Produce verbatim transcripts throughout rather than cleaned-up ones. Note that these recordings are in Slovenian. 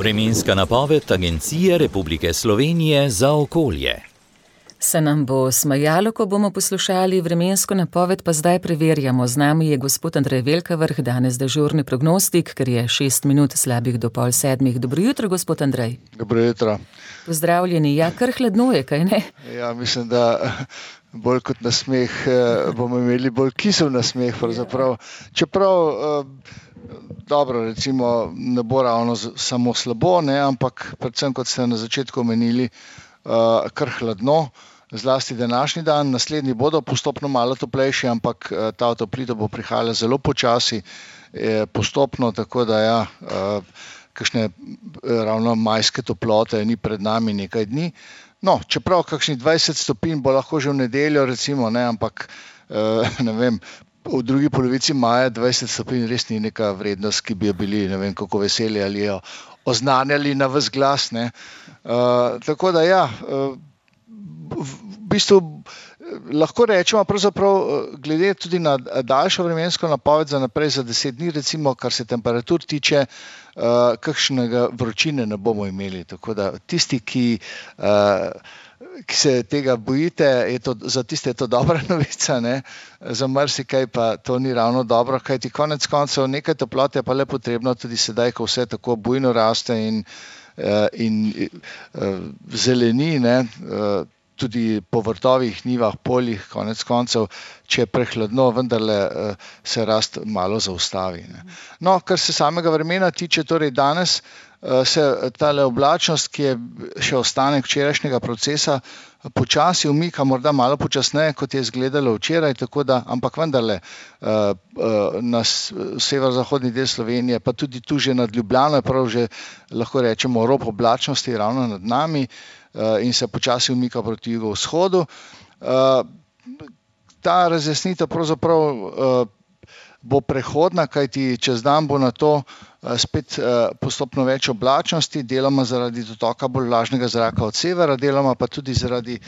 Vremenska napoved Agencije Republike Slovenije za okolje. Se nam bo smajalo, ko bomo poslušali vremensko napoved, pa zdaj preverjamo. Z nami je gospod Andrej Velkavrh, danes dežurni prognostik, ker je šest minut slabih do pol sedmih. Dobro jutro, gospod Andrej. Dobro jutro. Pozdravljeni. Ja, kar hladno je, kaj ne? Ja, mislim, da bolj kot nasmeh bomo imeli bolj kisel nasmeh, pravzaprav. Čeprav, dobro, recimo, ne bo ravno samo slabo, ne, ampak predvsem, kot ste na začetku omenili, kar hladno, zlasti današnji dan, naslednji bodo postopno malo toplejši, ampak ta otoplitev bo prihajala zelo počasi, postopno, tako da ja, kakšne ravno majske toplote ni pred nami nekaj dni. No, čeprav kakšnih dvajset stopinj bo lahko že v nedeljo, recimo, ne, ampak ne vem, v drugi polovici maja dvajset stopinj res ni neka vrednost, ki bi jo bili, ne vem, kako veseli ali jo oznanjali na ves glas, ne. Uh, tako da ja, uh, v bistvu lahko rečemo pravzaprav glede tudi na daljšo vremensko napoved za naprej za deset dni, recimo, kar se temperatur tiče, uh, kakšnega vročine ne bomo imeli. Tako da tisti, ki, uh, ki se tega bojite, je to, za tiste je to dobra novica, ne? Za marsikaj pa to ni ravno dobro, kajti konec koncev nekaj toplote je pa le potrebno tudi sedaj, ko vse tako bujno raste in in zeleni, ne, tudi po vrtovih, njivah, poljih, konec koncev, če je prehladno, vendarle se rast malo zaustavi, ne. No, kar se samega vremena tiče, torej danes se tale oblačnost, ki je še ostanek včerajšnjega procesa, počasi umika, morda malo počasneje, kot je izgledalo včeraj, tako da, ampak vendarle na severozahodni del Slovenije, pa tudi tu že nad Ljubljano, je prav že, lahko rečemo, rob oblačnosti ravno nad nami in se počasi umika proti jugovzhodu. Ta razjasnitev pravzaprav bo prehodna, kajti čez dan bo na to spet postopno več oblačnosti, deloma zaradi dotoka bolj vlažnega zraka od severa, deloma pa tudi zaradi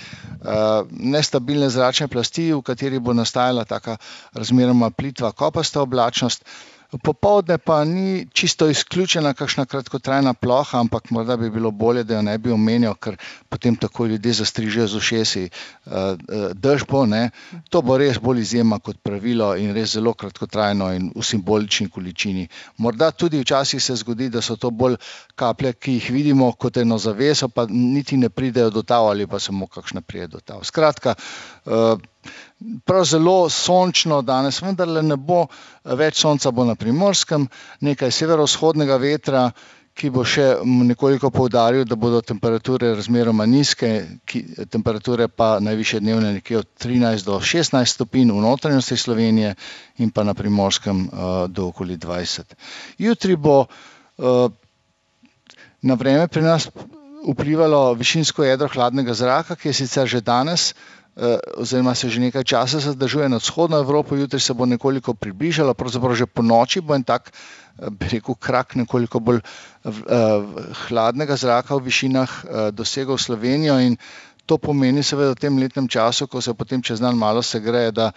nestabilne zračne plasti, v kateri bo nastajala taka razmeroma plitva kopasta oblačnost. Popoldne pa ni čisto izključena kakšna kratkotrajna ploha, ampak morda bi bilo bolje, da jo ne bi omenjal, ker potem tako ljudje zastrižejo z ušesi. Dež bo, ne, to bo res bolj izjema kot pravilo in res zelo kratkotrajno in v simbolični količini. Morda tudi včasih se zgodi, da so to bolj kaplje, ki jih vidimo kot eno zaveso, pa niti ne pridejo do tav ali pa samo kakšna pride do tav. Skratka, prav zelo sončno danes, vendarle ne bo več sonca, bo na Primorskem, nekaj severovzhodnega vetra, ki bo še nekoliko poudaril, da bodo temperature razmeroma nizke, ki, temperature pa najvišje dnevne nekje od trinajst do šestnajst stopinj v notranjosti Slovenije in pa na Primorskem uh, do okoli dvajset. Jutri bo uh, na vreme pri nas vplivalo višinsko jedro hladnega zraka, ki je sicer že danes oziroma se že nekaj časa zadržuje nad vzhodno Evropo, jutri se bo nekoliko približalo, pravzaprav že po noči bo en tak, bi rekel, krak nekoliko bolj hladnega zraka v višinah dosegel Slovenijo in to pomeni seveda v tem letnem času, ko se potem čez dan malo segreje, da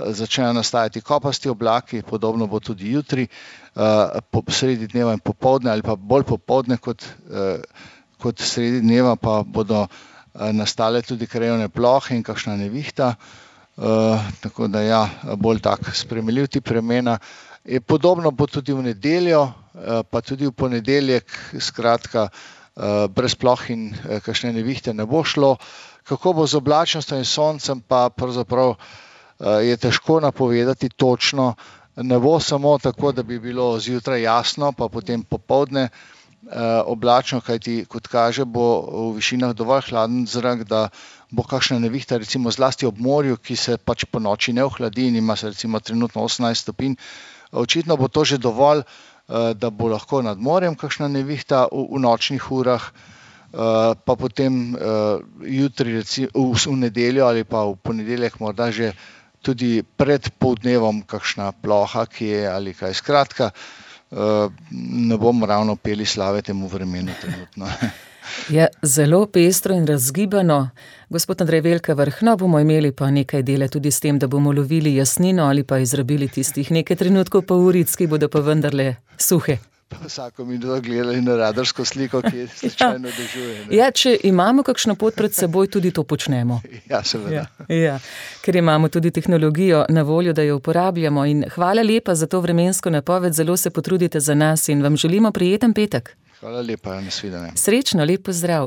začnejo nastajati kopasti oblaki, podobno bo tudi jutri, sredi dneva in popoldne ali pa bolj popoldne kot, kot sredi dneva pa bodo nastale tudi krajevne plohe in kakšna nevihta, uh, tako da ja, bolj tak spremenljiv tip vremena. Podobno bo tudi v nedeljo, uh, pa tudi v ponedeljek, skratka, uh, brez ploh in uh, kakšne nevihte ne bo šlo. Kako bo z oblačnostjo in soncem, pa pravzaprav uh, je težko napovedati točno. Ne bo samo tako, da bi bilo zjutraj jasno, pa potem popoldne oblačno, kajti kot kaže bo v višinah dovolj hladen zrak, da bo kakšna nevihta, recimo zlasti ob morju, ki se pač po noči ne ohladi in ima se recimo trenutno osemnajst stopinj. Očitno bo to že dovolj, da bo lahko nad morjem kakšna nevihta v, v nočnih urah, pa potem jutri, recimo, v nedeljo ali pa v ponedeljek morda že tudi pred poldnevom kakšna ploha, ki je ali kaj. Skratka, ne bomo ravno peli slave temu vremenu trenutno. Je zelo pestro in razgibano. Gospod Andrej Velkavrh, no, bomo imeli pa nekaj dela tudi s tem, da bomo lovili jasnino ali pa izrabili tistih nekaj trenutkov pa uric, ki bodo pa vendarle suhe. pa vsako minuto gledali na radarsko sliko, ki je slučajno dežuje. Ne? Ja, če imamo kakšno pot pred seboj, tudi to počnemo. Ja, seveda. Ja, ja, ker imamo tudi tehnologijo na voljo, da jo uporabljamo. In hvala lepa za to vremensko napoved, zelo se potrudite za nas in vam želimo prijeten petek. Hvala lepa, nasvidenje. Srečno, lep pozdrav.